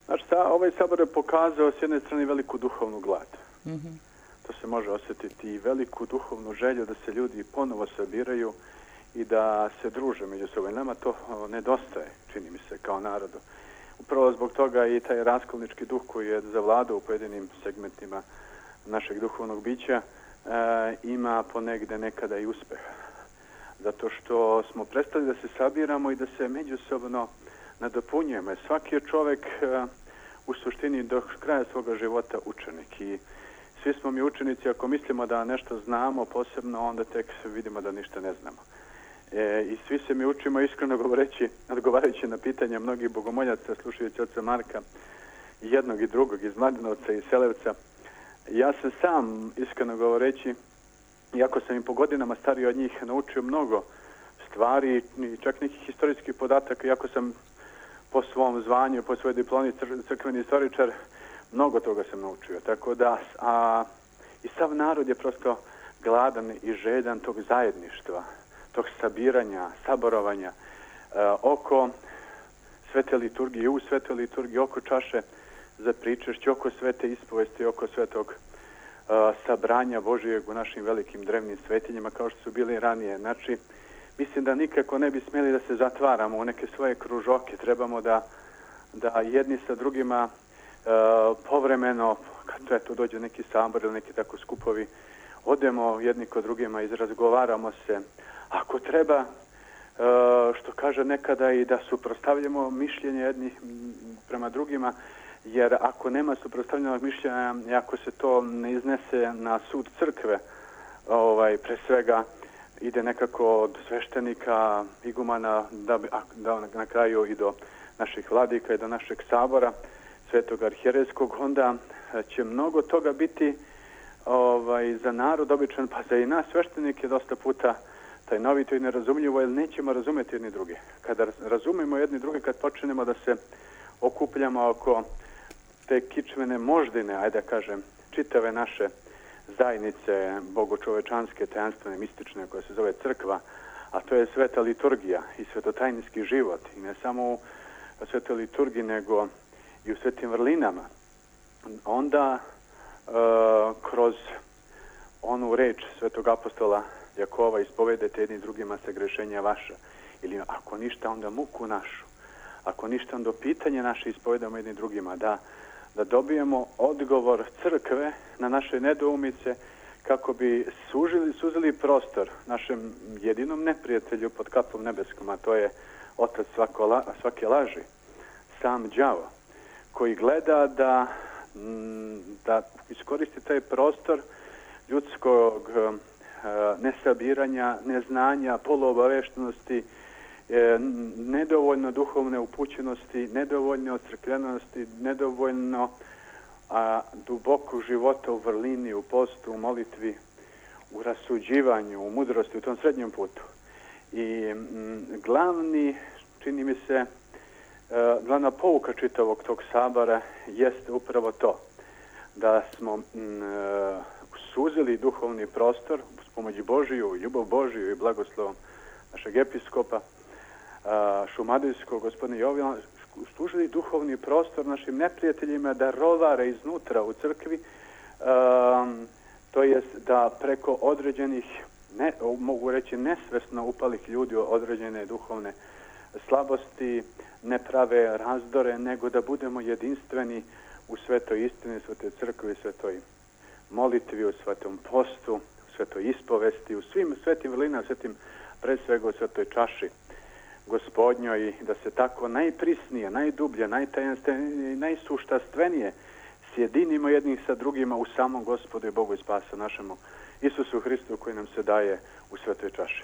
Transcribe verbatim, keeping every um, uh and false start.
Znači, ta, ovaj sabor je pokazao s jedne strane veliku duhovnu glad. Mm-hmm. To se može osjetiti i veliku duhovnu želju da se ljudi ponovo sabiraju i da se druže među sobom. Nama to nedostaje, čini mi se, kao narodu. Upravo zbog toga i taj raskolnički duh koji je zavladao u pojedinim segmentima našeg duhovnog bića e, ima ponegde nekada i uspeha. Zato što smo prestali da se sabiramo i da se međusobno nadopunjujemo. Svaki je čovjek e, u suštini do kraja svoga života učenik i svi smo mi učenici ako mislimo da nešto znamo posebno, onda tek vidimo da ništa ne znamo. E, I svi se mi učimo, iskreno govoreći, odgovarajući na pitanja mnogih bogomoljaca, slušajući oca Marka, jednog i drugog, iz Mladenovca i Selevca. Ja sam sam, iskreno govoreći, iako sam im po godinama stariji od njih, naučio mnogo stvari i čak nekih historijskih podataka, iako sam po svom zvanju, po svojoj diplomi crkveni istoričar, mnogo toga sam naučio. Tako da, a i sav narod je prosto gladan i željan tog zajedništva, tog sabiranja, saborovanja e, oko svete liturgije, u svete liturgije, oko čaše za pričešće, oko svete ispovesti, oko svetog e, sabranja Božijeg u našim velikim drevnim svetinjima kao što su bili ranije. Znači, mislim da nikako ne bi smjeli da se zatvaramo u neke svoje kružoke. Trebamo da, da jedni sa drugima e, povremeno, kad eto, dođe neki sabor ili neki tako skupovi, odemo jedni kod drugima, izrazgovaramo se. Ako treba, e, što kaže nekada, i da suprotstavljamo mišljenje jednih prema drugima, jer ako nema suprotstavljenog mišljenja, ako se to ne iznese na sud crkve, ovaj, pre svega ide nekako od sveštenika, igumana, da, da na kraju i do naših vladika i do našeg sabora, svetog arhijerejskog, onda će mnogo toga biti ovaj, za narod običan, pa za i nas sveštenike dosta puta tajnovito i nerazumljivo, jer nećemo razumjeti jedni druge. Kada razumemo jedni druge, kad počnemo da se okupljamo oko te kičmene moždine, ajde da kažem, čitave naše zajednice bogočovečanske, tajanstvene, mistične, koja se zove crkva, a to je sveta liturgija i svetotajnički život. I ne samo u svetoj liturgiji, nego i u svetim vrlinama. Onda e, kroz onu reč svetog apostola Jakova ispovedajte jedni drugima se grešenja vaša. Ili ako ništa, onda muku našu. Ako ništa, onda pitanje naše ispovedamo jedni drugima. Da, da dobijemo odgovor crkve na naše nedoumice kako bi sužili, suzili prostor našem jedinom neprijatelju pod kapom nebeskom, a to je otac svako la, svake laži, sam đavo, koji gleda da, da iskoristi taj prostor ljudskog nesabiranja, neznanja, poluobaveštenosti, nedovoljno duhovne upućenosti, nedovoljno ocrkljenosti, nedovoljno a, dubokog života u vrlini, u postu, u molitvi, u rasuđivanju, u mudrosti, u tom srednjem putu. I m, glavni, čini mi se, e, glavna pouka čitavog tog sabora jeste upravo to, da smo m, e, suzili duhovni prostor s pomoći Božiju, ljubav Božiju i blagoslovom našeg episkopa šumadijskog, gospodina Jovina, služili duhovni prostor našim neprijateljima da rovare iznutra u crkvi, um, to jest da preko određenih, ne, mogu reći nesvesno upalih ljudi određene duhovne slabosti, ne prave razdore, nego da budemo jedinstveni u svetoj istini, svetoj crkvi, svetoj molitvi, u svetom postu, u svetoj ispovesti, u svim svetim vrlinama, svetim pre svega u svetoj čaši Gospodnjoj, i da se tako najprisnije, najdublje, najtajanstvenije i najsuštastvenije sjedinimo jednih sa drugima u samom Gospodu i Bogu i Spasu našemu Isusu Hristu koji nam se daje u svetoj čaši.